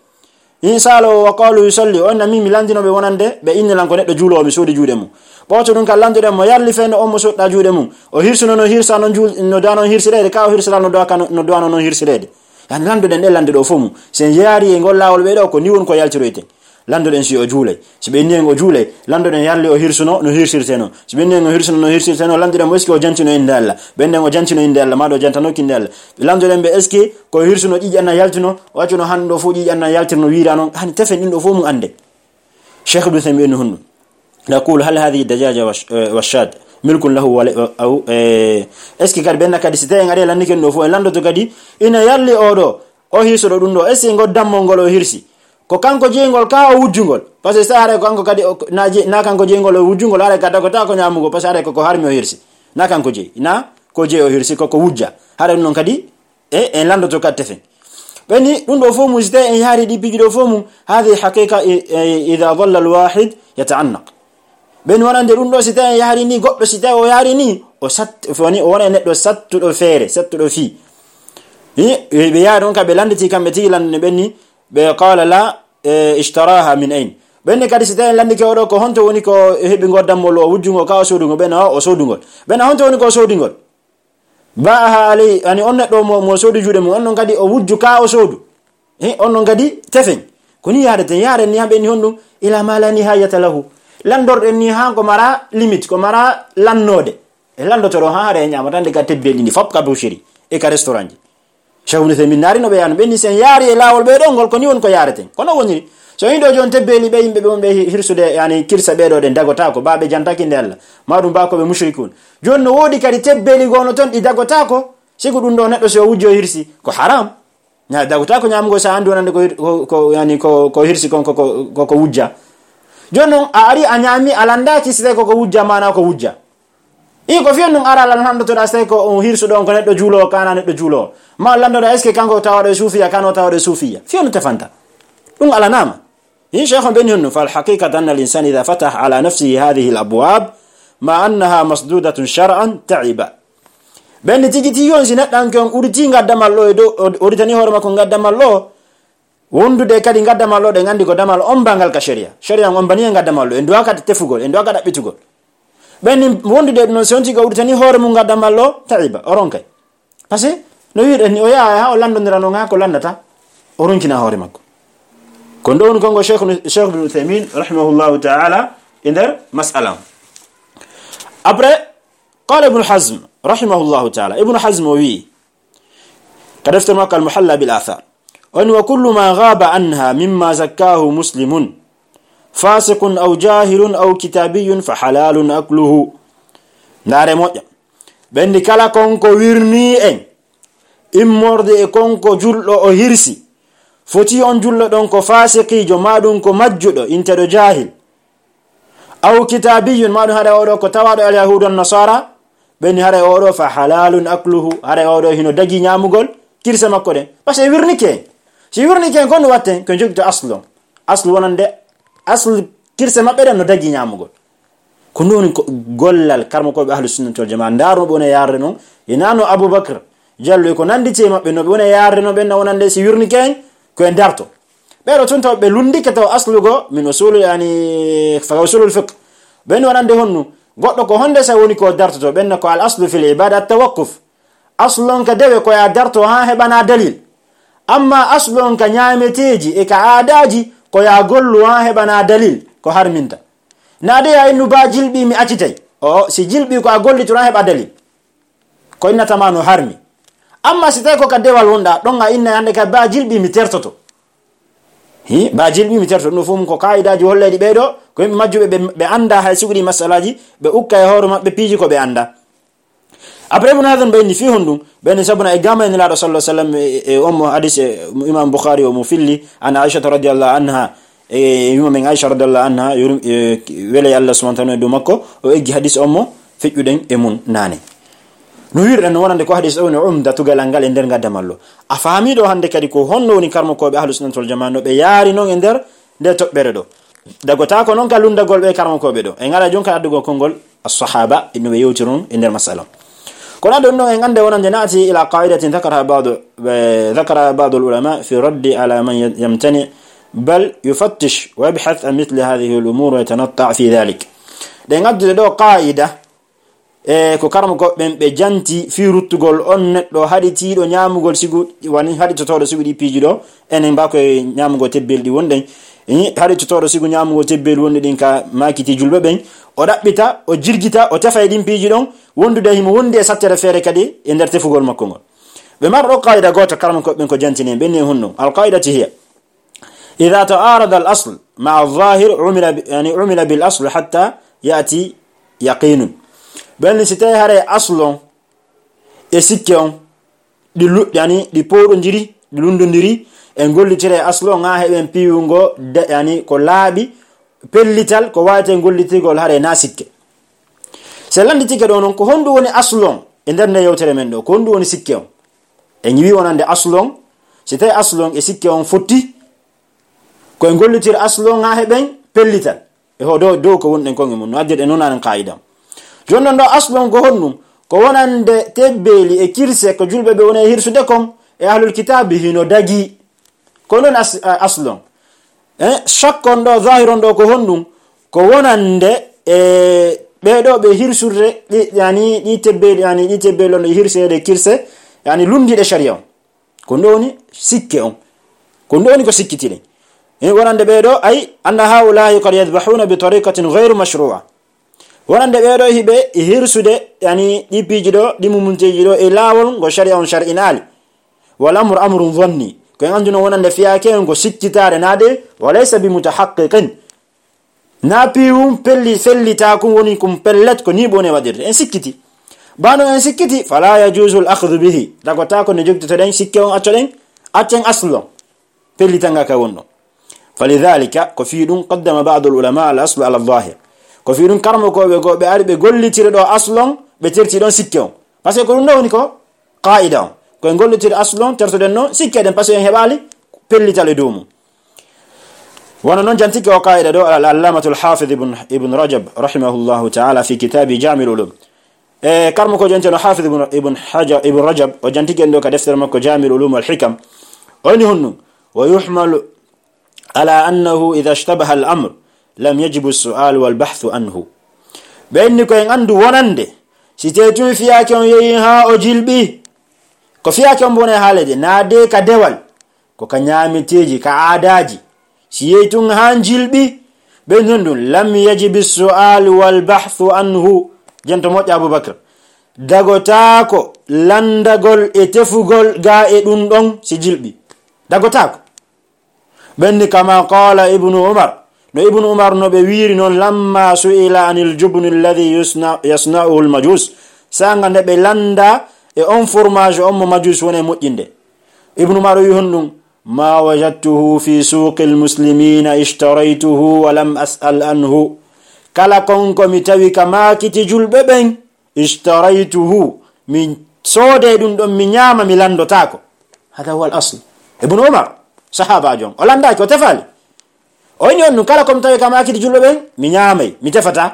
Inshallah, wa qalu yusalli, on na min mi landino ɓe wonande ɓe innilan ko neɗɗo juuloowo, mi soodi juuɗe mum. Ɓooto ɗum kan landuɗen mo yarli feno on mo soɗɗa juuɗe mum. O hirsuno no hirsa non juul-, no dano hirsireede, ka o hirsira no doa-, no doano non hirsireede. Yani landuɗen ɗe lande ɗo fof mum. Sen yaari e ngol laawol ɓe ɗo, ko ni won ko yaltiroyten. Landoɗen si o juulay. Si ɓe inni en o juulay, landoɗen yarli o hirsuno no hirsirte non. Si ɓe inni en o hirsuno no hirsirte non, landoɗen mo est ce que o jantino innde Allah. Ɓen ɗen o jantino innde Allah, ma ɗo jantanoki innde Allah. Landoɗen ɓe est ce que ko hirsuno ƴiƴan na yaltino, o accuno han ɗo fof ƴiƴan na yaltirno wiira non. Hani tefen ɗin ɗo fof mum annde. Cheikh Ibn Uthaymin no honno. Naqulu, hal hadhihi dajaja wa sh-, eh, wa shad milkun lahu wa la-, aw, eh, est ce que kadi ɓen na kadi si tawi en ari e lannike ɗum ɗo fof, en landoto kadi ina yarli o ɗo, o hirsuɗo ɗum ɗo, est ce que ngol dammol ngol o hirsi? Ko kanko jeyngol ka o wujjungol. Parce que sa haray ko kanko kadi o, na je-, na kanko jeyngol o wujjungol, haray ka dagota ko ñaamugol, parce que haray ko ko harmi o hirsi. Na kanko jeyi, na ko jeyi o hirsi, ko ko wujja. Haray ɗum noon kadi, e, en landoto kadi tefen. Ɓenni, ɗum ɗo fof mum, si tawi en yaari ɗi piiji ɗo fof mum, hadi haqiqa, i-, i-, ida dalla al wahid yataannaq. Ɓen wonande ɗum ɗo, si tawi en yaari ni, goɗɗo si tawi o yaari ni, o sat-, woni, o wona e neɗɗo sattuɗo feere, sattuɗo fii. Hi, ɓe yaari ɗon ka ɓe landiti kamɓe tigi landude ɓenni, ɓe qala la, e, ishtaraha min ayn. Ɓenne kadi si tawi en landike oɗo ko honto woni ko heɓi ngol dammol o wujjungo ka o soodungo, ɓen o, o soodungol. Ɓen honto woni ko o soodingol? Ba'aha alay, ani on neɗɗo mo, mo soodi juuɗe mum, on ɗon kadi o wujju ka o soodu. He, on ɗon kadi tefen. Ko ni yaadeten, yaaren ni ha ɓenni honɗum, ila ma la nihayata lahu. Landorɗen ni ha ko mara limite, ko mara lannoode. E landotoɗo ha hare e ñaamata nde ka tebbeli ndi fop ka boucherie e ka restaurant ji. Cheikh Ibn Uthaymin naari no ɓe yaano, ɓe ni sen yaari e laawol ɓe ɗo ngol, ko ni woni ko yaareten. Kono woniri, so yiɗo jon tebbeli ɓe yimɓe ɓe on ɓe hi-, hirsude, yani, kirsa ɓe ɗo ɗen dagota ko, ba ɓe jantaki nde Allah. Ma ɗum ba ko ɓe mushrikun. Jon no woodi kadi tebbeli gono ton ɗi dagota ko, sigu ɗum ɗo neɗɗo si o wujjo hirsi, ko haram. Na dagota ko ñamugo sa andu wonande ko hir-, ko, ko, yani, ko, ko hirsi kon ko, ko, ko, ko wujja. Jon non a ari a ñaami a landaki si tawi ko ko wujja mana ko wujja. I ko fiyon ɗum ara lan handotoɗa, si tawi ko on hirsuɗo on ko neɗɗo juulowo, kana neɗɗo juulowo. Ma landoɗa, est-ce que kanko tawaɗo e suufiya, kano tawaɗo e suufiya? Fiyon ɗum tefanta. Ɗum alanama. In cheikh on ɓeni honno, fal haqiqata anna al insana ida fatah ala nafsihi hadihi al abwab, ma annaha masdudatun shar'an, ta'iba. Ɓenni tigi tigi on si neɗɗanke on uriti ngaddamal ɗo e dow, o-, uritani hoore makko ngaddamal ɗo, wondude kadi ngaddamal ɗo, ɗen andi ko damal ombangal ka sharia. Sharia on ombani e ngaddamal ɗo, en duwa kadi tefugol, en duwa kadi ɗaɓɓitugol. Ɓen ni wondude ɗum noon, si on tigi o udditani hoore mum ngaddamal ɗo, ta'iba, o ronkay. Parce que no wiɗen ni, o yaha ha o landondira noon ha ko landata, o ronkina hoore makko. Ko ɗo woni kongo Cheikh, Cheikh Ibn Uthaymin, rahimahullahu ta'ala, e nder mas'ala on. Après, qala Ibn Hazm, rahimahullahu ta'ala. Ibn Hazm o wi'i, ka deftere makko Al-Muhalla bil Athar. O ni, "Wa kullu ma ghaba anha mimma zakkahu muslimun, fasiqun aw jahilun aw kitabiyyun fa halalun akluhu." Ndaare moƴƴa. Ɓenni kala kon ko wirni en, immorde e kon ko julɗo o hirsi. Foti on julɗo ɗon ko fasiqiijo, ma ɗum ko majjuɗo, inteɗo jahil. Aw kitabiyyun, ma ɗum haɗa oɗo ko tawaɗo al yahudu an nasara, ɓe ni haɗa oɗo fa halalun akluhu, haɗa oɗo hino dagi ñamugol kirse makko ɗen. Parce que wirnike en. Si wirnike en, kon watten, ko jogito aslu on. Aslu wonande, aslu kirse maɓɓe ɗen no dagi ñamugol. Ko non ko gollal karmo ko ɓe ahlu sunnati wal jamaa. Ndaaro ɓe wona yarde non. E nano Abubakar Jallo e ko nanditi e maɓɓe no ɓe wona yarde non ɓen na wonande si wirnike en, ko en darto. Ɓeɗo tun taw ɓe lundike taw aslugo min usul, yani, fa usulul fiqh. Ɓen wonande honnu? Goɗɗo ko honde sa woni ko dartoto? Ɓen ko al aslu fil ibada at tawaqquf. Aslu on ka dewe ko ya darto ha heɓana dalil. Amma aslu on ka ñaameteeji e ka aadaaji ko ya gollu ha heɓana dalil ko harminta. Na de ya innu ba jilɓi mi accitay. O, si jilɓi ko a gollitoro ha heɓa dalil. Ko innata ma no harmi. Amma si tawi ko ka dewal wonɗa, ɗon a inna hande ka ba jilɓi mi tertoto. Hi, ba jilɓi mi tertoto. Ɗum fof ko kaidaaji holleeɗi ɓee ɗo, ko yimɓe majjuɓe ɓe, ɓe annda hay suguɗi masalaji, ɓe ukka e hoore maɓɓe piiji ko ɓe annda. Après, Ibn Hazm ɓe inni fii honɗum? Ɓe inni sabuna e gama e Nelaaɗo sallallahu alaihi wasallam e, e, e on mo hadis, e, Imam Bukhari o mo filli, an Aishata radiyallahu anha, e, yumma men Aisha radiyallahu anha, yurum-, e, wele Allah subhanahu wa ta'ala e dow makko, o eggi hadis on mo feƴƴuɗen e mun naane. No wirɗen no wonande ko hadis o woni umda tugalal ngal e nder ngaddamal ɗo. A faami ɗo hande kadi ko honno woni karmokooɓe Ahlus Sunnati wal Jamaa no ɓe yaari non e nder nde toɓɓere ɗo. Dagotaako noon ka lunndagol ɓe karmakooɓe ɗo. En ngaɗa jooni ka addugol konngol as-sahaba, no ɓe yewtiri noon e nder masala on. Kono addu ɗum ɗon, en annda wonande naati ila qaidatin dhakaraha ba'du, eh, dhakaraha ba'du al-ulama fi raddi ala man yamtani, bal yufattish wa yabhath an mithli hadhihi al-umur wa yatanatta' fi dhalik. Ɗen addude ɗo qaida, e ko karmakooɓe ɓen ɓe janti fii ruttugol on neɗɗo haɗitiiɗo ñaamugol sigu, wano haɗitotooɗo sigu ɗi piiji ɗo, enen mbaa ko e ñaamugol tebbeli ɗi wonɗen, i, haɗitotooɗo sigu ñaamugol tebbeli wonɗi ɗin ka maakiti julɓe ɓen, o ɗaɓɓita, o jirgita, o tefa e ɗin piiji ɗon, wondude himo wondi e sattere feere kadi e nder tefugol makko ngol. Ɓe mara ɗo qaida gooto karmakooɓe ɓen ko jantini en, ɓen ni e honno. Al qaidati hiya, إذا تعارض الأصل مع الظاهر عمل ب-، يعني، عمل بالأصل حتى يأتي يقين. Ɓen si tawi haray aslu on e sikke on ɗi lu-, yani, ɗi powɗondiri, ɗi lunndondiri, en gollitira e aslu on haa heɓen piiwungo da-, yani, ko laaɓi, pellital, ko waawetee gollitirgol haray na sikke. Si en lannditike ɗo noon, ko honɗum woni aslu on e nder nde yewtere men ɗo? Ko honɗum woni sikke on? En ñiwi wonande aslu on, si tawi aslu on e sikke on fotti, ko en gollitir aslu on haa heɓen pellital. E ho dow, dow ko wonɗen kon e mun, no addirɗen noon anen qaida on. Jooni noon ɗo aslu on ko honɗum? Ko wonande tebbeeli e kirse ko julɓe ɓe woni e hirsude kon e ahlul kitaabi hino dagi. Ko noon as-, a-, aslu on. Eh, shakk on ɗo, zahir on ɗo ko honɗum? Ko wonande e ɓee ɗo ɓe hirsude ɗi, yani, ɗi tebbeeli, yani, ɗi tebbeeli on ɗo hirseede kirse, yani, lunndiiɗe sharia on. Ko ɗum woni sikke on. Ko ɗum woni ko sikkitiɗen. Eh, wonande ɓee ɗo, ay, anna haula'i qad yadhbahuna bi tariqatin ghayru mashru'a. Wonande ɓee ɗo hiɓe hirsude, yani, ɗi piiji ɗo, ɗi mumunteeji ɗo, e laawol ngo sharia on shar'inaali. Wal amru amrun dhanni. Ko en annduno wonande fiyaake on ko sikkitaare naade, wa laysa bi mutahaqqiqin. Na piiwum pelli-, fellitaakun woni kum pellet, ko ni bone waɗirde. En sikkiti. Bano en sikkiti, fala yajuzu al akhdhu bihi. Dagotaako no jogitotoɗen sikke on, accoɗen, accen aslu on. Pellitanga ka wonno. Falidhalika, ko fii ɗum qaddama ba'du al ulama al aslu ala al zahir. Ko fii ɗum karmakooɓe goo ɓe ari ɓe gollitiri ɗo aslu on, ɓe terti ɗon sikke on. Parce que ko ɗum ɗo woni ko qaida on. Ko en gollitiri aslu on, tertoɗen noon sikke ɗen, parce que en heɓaali pellital e dow mum. Wano noon jantike o qaida ɗo al-, al-allamatu al-hafiz ibn, ibn Rajab rahimahullahu ta'ala fi kitabi Jami'ul Ulum. E karmakoojo enten o hafiz ibn, ibn Hajar, ibn Rajab, o jantike en ɗo ka deftere makko Jami'ul Ulum wal Hikam. O inni honɗum, wa yuhmalu ala annahu idha ishtabaha al-amr lam yajibu as-su'al wal bahthu anhu. Ɓe inni ko en anndu wonande si tee tun fiyaake on yehi haa o jilɓi, ko fiyaake on bone haalede, naade ka dewal, ko ka ñaameteeji, ka aadaaji. Si yehi tun haa njilɓi, ɓe non ɗum, lam yajibi su'al wal bahthu anhu. Jento moƴƴa Abubakar. Dagotaako lanndagol e tefugol gaa e ɗum ɗon si jilɓi. Dagotaako. Ɓenni kama qala Ibnu Umar. No Ibnu Umar no ɓe wiiri noon, lamma su'ila anil jubni alladhi yusna-, yasna'uhu al majus. Sanga nde ɓe lannda e on fromage on mo majus woni e moƴƴinde. Ibnu Umar o wi honɗum, ma wajadtuhu fi suqi al muslimina ishtaraytuhu wa lam as'al anhu. Kala kon ko mi tawi ka maakiti julɓe ɓen, ishtaraytuhu, mi soode ɗum ɗon, mi ñaama, mi lanndotaako. Hada huwa al asl. Ibnu Umar, sahaabaajo on, o lanndaaki, o tefaali. O inni on ɗum, kala ko mi tawi ka maakiti julɓe ɓen, mi ñaamay, mi tefata.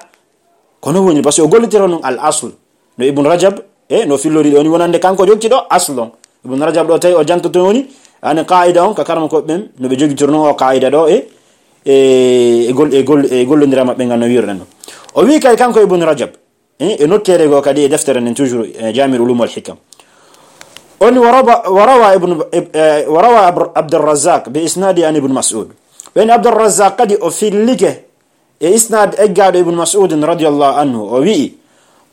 Kono woni, parce que o gollitiro ɗum al asl. No Ibnu Rajab, e no fillori ɗo ni, wonande kanko jogti ɗo asl on. Ibnu Rajab ɗo tawi o jantoto woni, ani qaida on, ka karmakooɓe ɓen, no ɓe jogitoro non o qaida ɗo, e, e, e gol-, e gol-, e gollondira maɓɓe ngal no wiruɗen ɗo. O wi kadi kanko Ibnu Rajab, e, e nokkeere goo kadi e deftere nden toujours, e, Jami'ul Ulum wal Hikam. O ni wa rawa, wa rawa Ibnu, e, e, wa rawa Abr-, Abdurrazzaq bi isnadi an Ibn Mas'ud. Ɓen Abdurrazzaq kadi o fillike e isnad eggaaɗo Ibn Mas'ud radiyallahu anhu. O wi'i,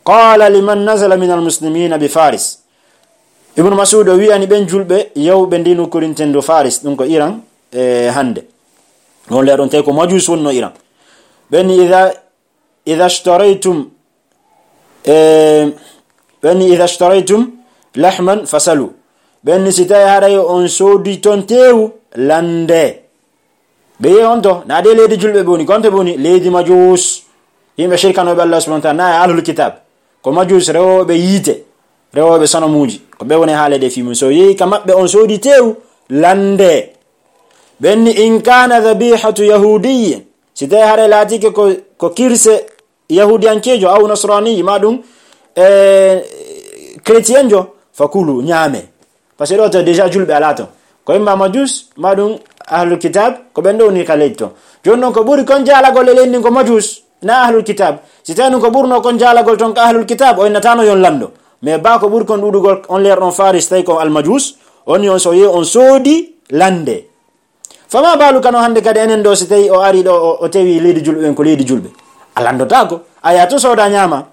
qala liman nazala min al muslimina bi Faris. Ibn Mas'ud o wi'ani ɓen julɓe yawɓe ndi nokkurinten do Faris, ɗum ko Iran, e, hande. On leer on tawi ko Majus wonno Iran. Ɓen idha, idha ishtaraytum E, ɓen ni, idha ishtaraytum lahman fasalu. Ɓen ni, si tawi haray on soodi ton teewu, lande. Ɓe yehi on to, na de leydi julɓe ɓe woni, konto ɓe woni, leydi Majus. Yimɓe shirkanooɓe Allah subhanahu wa ta'ala, na e ahlul kitab. Ko Majus rewooɓe yiite, rewooɓe sanamuuji. Ko ɓe woni haale de fii mun. So yehi ka maɓɓe on soodi teewu, lande. Ɓen ni, in kana dhabihatu yahudiyyin, Si tawi haray laatike ko, ko kirse yahudiyankeejo, aw nasrani, ma ɗum, e, chrétienjo, fa kulu, ñaame. Parce que ɗo to déjà julɓe alaa ton. Ko imma majus, ma ɗum ahlul kitab, ko ɓen ɗo woni ka leydi ton. Jooni non ko ɓuri kon jaalagol e leydi ndin ko majus, na ahlul kitab. Si tawi non ko ɓurno kon jaalagol ton ka ahlul kitab, o innatano yon lando. Mais ba ko ɓuri kon ɗuɗugol on leer ɗon Faris, tawi ko al majus, on yon so ye on soodi lande. Fama balu kano hande kadi enen ɗo, si tawi o ari ɗo, o, o tewi leydi julɓe ɓen ko leydi julɓe. A landotako, a yaha to sooda ñaama.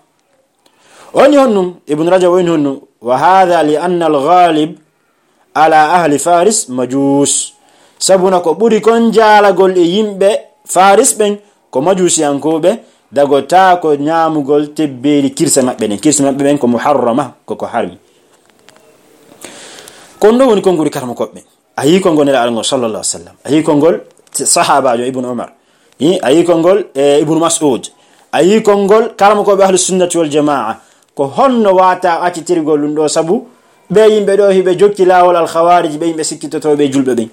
O inni honɗum, Ibn Rajab o inni honɗum, wa hadha li anna al ghalib ala ahli Faris majus. Sabuna ko ɓuri kon jaalagol e yimɓe Faris ɓen ko majusiyankoɓe, dagota ko ñaamugol tebbeeli kirse maɓɓe ɗen. Kirse maɓɓe ɓen ko muharrama, ko ko harmi. Kon ɗo woni konguɗi karmo koɓɓe. A yii konngol Nelaaɗo ngol, sallallahu alaihi wasallam. A yii konngol sahaabaajo Ibn Umar. Hi, a yii konngol, eh, Ibn Mas'ud. A yii konngol karamokooɓe Ahlus Sunnati wal Jamaa. Ko honno wata accitirgol ɗum ɗo? Sabu ɓe yimɓe ɗo hiɓe jokki laawol Al Khawarij, ɓe yimɓe sikkitotooɓe julɓe ɓen.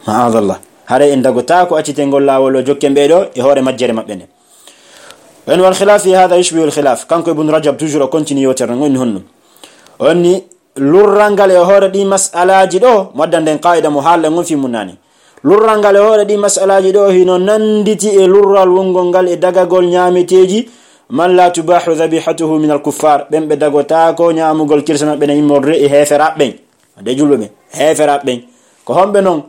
Ma'adallah. Haray en dagotaako accitengol laawol o jokken ɓe ɗo e hoore majjere maɓɓe nden. En wal khilaf fi hadha yushbihu al khilaf. Kanko Ibn Rajab toujours o continue yewtere ngon ni honno. O ni lurral ngal e hoore ɗi mas'alaaji ɗo, mo addan nden qaa'ida mo haalɗen on fii mun naane. Lurral ngal e hoore ɗi mas'alaaji ɗo hino nanditi e lurral wongol ngal e dagagol ñaameteeji man la tubahu dhabihatuhu min al kuffar, ɓen ɓe dagotaako ñaamugol kirse maɓɓe na immorde e heeferaaɓe ɓen. De julɓe ɓen, heeferaaɓe ɓen. Ko homɓe non?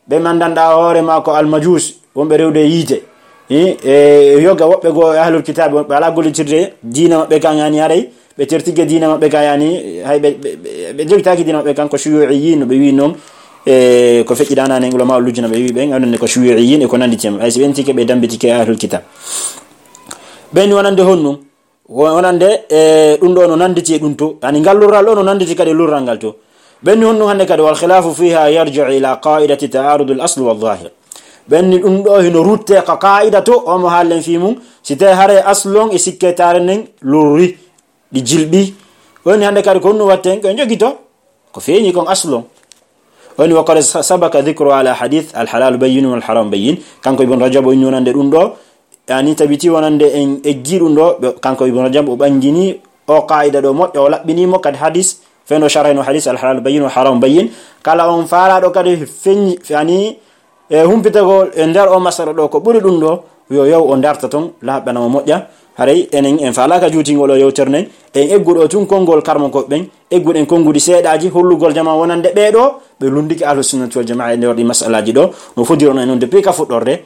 Ɓe man danɗa hoore ma ko almajus, wonɓe rewde e yiite. Hi, e yoga woɓɓe goo e ahlul kitaabe, woɓɓe alaa gollitirde diina maɓɓe kan, yani haray ɓe tertige diina maɓɓe kan, yani hay ɓe, ɓe, ɓe, ɓe jogitaaki diina maɓɓe kan, ko shuyu'iyyin no ɓe wi non, e ko feƴƴi ɗanani en ulama lujjina ɓe wi ɓen, onon ne ko shuyu'iyyin e ko nanditi en. Hay si ɓen tike ɓe dambitike e ahlul kitab. Ɓen wonande honno? Wo-, wonande, e, ɗum ɗo no nanditi e ɗum to. Yani ngal lurral ɗo no nanditi kadi e lurral ngal to. Ɓen ni honɗum hannde kadi, wal khilafu fiha yarji'u ila qa'idati ta'arudul asl wal zahir. Ɓen ni ɗum ɗo hino rutte ka qa'ida to, o mo haallen fii mum, si tawi haray aslon e sikke taare nden lurri, ɗi jilɓi. Woni hannde kadi ko honɗum watten, ko jogito. Ko feeñi kon aslu on. O ni, wa qad sa-, sabaka dhikru ala hadith al halal bayyin wal haram bayyin. Kanko Ibn Rajab o inni wonande ɗum ɗo, yani tabiti wonande en eggi ɗum ɗo, ɓe, kanko Ibn Rajab o ɓangini o qaida ɗo moƴƴo, o laɓɓini mo kadi hadith, feno sharhino hadith al halal bayyin wal haram bayyin. Kala on faalaɗo kadi feñi, yani e humpitagol e nder o masala ɗo ko ɓuri ɗum ɗo, yo yaw o darta ton, laaɓana mo moƴƴa. Haray enen en faalaaka juutingol o yewtere nden, en egguɗo tun konngol karmo ko ɓen, egguɗen konnguɗi seeɗaaji, hollugol jama wonande ɓee ɗo, ɓe lunndike Ahlu Sunnati wal Jamaa e nder ɗi masalaaji ɗo, no fodirono e non depuis ka fuɗɗorde.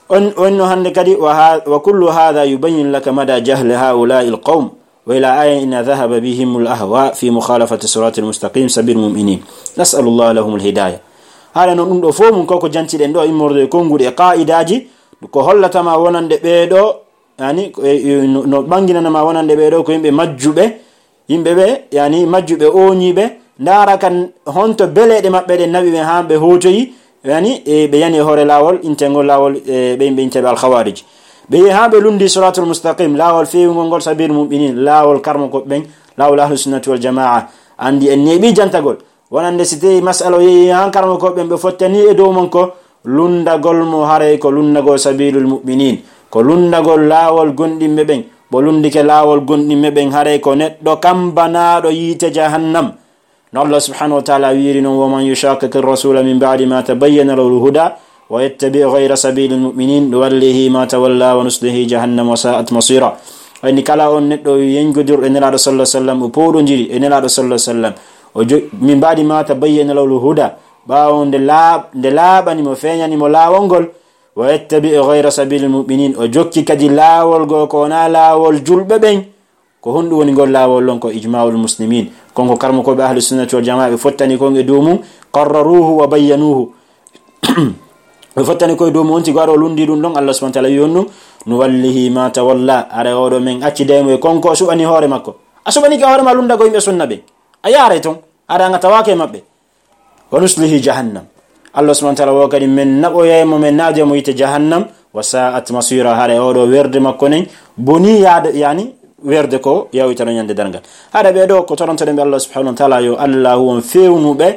On, on no hannde kadi, wa ha-, wa kullu hadha yubayyin laka mada jahli haula'i al qawm. Wa ila ayin ina dhahaba bihim al ahwa fi mukhalafati sirati al mustaqim sabil muminin. Nas'alu Allah lahum al hidaya. Haala noon ɗum ɗo fof mum koko jantiɗen ɗo immorde e konnguɗi e qa'idaaji, ko hollatama wonande ɓee ɗo, yani, ko e, e, no, no ɓanginanama wonande ɓee ɗo ko yimɓe majjuɓe, yimɓe ɓe, yani, majjuɓe ooñiiɓe, ndaara kan honto beleeɗe maɓɓe ɗen naɓi ɓe haa ɓe hootoyi, yani, e ɓe yani e hoore laawol, intengol laawol, e ɓe yimɓe inteɓe al khawarij. Ɓe yehi haa ɓe lundi siratul mustaqim, laawol feewungol ngol, sabil mu'minin, laawol karmo ko ɓen, laawol ahlu sunnati wal jamaa. Andi en neeɓi jantagol. Wonande si tawi masala o yehi haa karmo ko ɓen ɓe fottani e dow mon ko lundagol mo haray ko lundagol sabilul mu'minin, ko lundagol laawol gonɗinɓe ɓen. Ɓo lundike laawol gonɗinɓe ɓen haray ko neɗɗo kambanaaɗo yiite jahannam. No Allah subhanahu wa ta'ala wiiri non, "Wa man yushaqiqi rasula min ba'di ma tabayyana lahu al-huda wa yattabi' ghayra sabili al-mu'minin nuwallihi ma tawalla wa nuslihi jahannam wa sa'at masira." Wayni kala on neɗɗo yengodir e Nelaaɗo sallallahu alaihi wasallam, o pooɗondiri e Nelaaɗo sallallahu alaihi wasallam, o jo-, min ba'di ma tabayyana lahu al-huda, ɓaawo nde laaɓ-, nde laaɓani mo, feeñani mo laawol ngol, wa yattabi' ghayra sabili al-mu'minin, o jokki kadi laawol goo ko wonaa laawol julɓe ɓen, ko honɗum woni ngol laawol ɗon? Ko ijma'ul muslimin. Kon ko karmokooɓe ahli sunnati wal jamaa, ɓe fottani kon e dow mum, qarraruhu wa bayyanuhu. Ɓe fottani koye dow mum on tigi, waɗo lundi ɗum ɗon, Allah subhanahu wa ta'ala wi honɗum, "Nuwallihi ma tawalla." Ara oɗo men acciday mo e kon ko o suɓani hoore makko. A suɓanike hoore ma lundago yimɓe sunna ɓe. A yaaray ton. Ara nga tawaake e maɓɓe. "Wa nuslihi jahannam." Allah subhanahu wa ta'ala wo kadi men naɓoyay mo, men naadiya mo yiite jahannam. "Wa sa'at masira." Hara e oɗo werde makko nen boni yaade, yani werde ko yawitano ñande darngal. Hara ɓe ɗo ko torontoɗen ɓe Allah subhanahu wa ta'ala, yo Allah won fewnuɓe,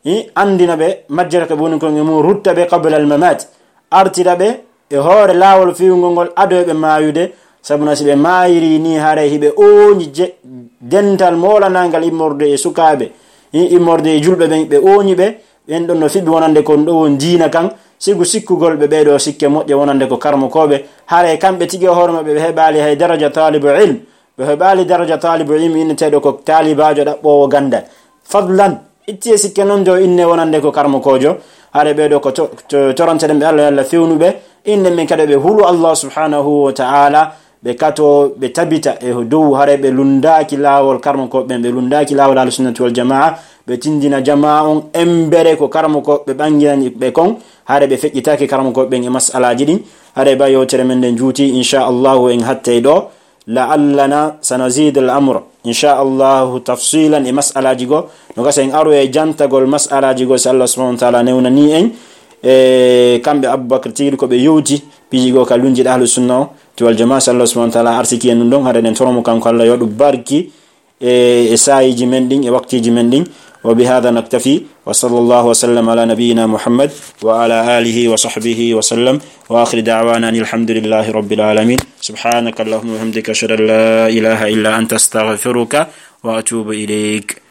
i, andina ɓe majjere ko boni kon e mum, rutta ɓe qabla al mamat, artira ɓe e hoore laawol fewngol ngol ado e ɓe maayude. Sabuna si ɓe maayiri ni, haray hiɓe ooñi je-, dental moolanaangal immorde e sukaaɓe, i-, immorde e julɓe ɓen, ɓe ooñi ɓe, ɓen ɗon no fiɓi wonande kon ɗo won diina kan, sigu sikkugol ɓe ɓee ɗoo sikke moƴƴe wonande ko karmokooɓe, haray kamɓe tigi e hoore maɓɓe ɓe heɓaali hay daraja taalibu ilm, ɓe heɓaali daraja taalibu ilm inneteeɗo ko taalibaajo ɗaɓɓoowo ganndal. Fadlan, itti e sikke non jo inne wonande ko karmokoojo, haray ɓee ɗoo ko to-, to-, toranteɗen ɓe Allah, yo Allah fewnu ɓe, innen men kadi ɓe hulu Allah subhanahu wa ta'ala, ɓe kato, ɓe tabita e dow, haray ɓe lunndaaki laawol karmokooɓe ɓen, ɓe lunndaaki laawol Ahlu Sunnati wal Jamaa, ɓe tinndina jamaa on embere ko karmokooɓe ɓe ɓanginani ɓe kon, haray ɓe feƴƴitaaki karmokooɓe ɓen e mas'alaaji ɗin. Haray ba yewtere men nden juuti, insha Allahu en hattay ɗoo. La'allana sanazid al amr, insha Allahu, tafsilan e mas'alaaji go. No gasa en aro e jantagol mas'alaaji go, si Allah subhanahu wa ta'ala newnani en. E kamɓe Abubakar tigi ko ɓe yewti piiji go ka lunji Ahlu Sunna o ti wal Jamaa, si Allah subhanahu wa ta'ala arsiki en ɗum ɗon, haray ɗen toromo kanko Allah yo ɗum barki e, e saayiji men ɗin, e waktiiji men ɗin. Wa bi hadha naktafi, wa sallallahu wa sallam ala nabiyyina Muhammad wa ala alihi wa sahbihi wa sallam, wa akhir da'wana anil hamdulillahi rabbil alamin. Subhanaka Allahumma wa bihamdika, ashhadu an la ilaha illa anta, astaghfiruka wa atubu ilayk.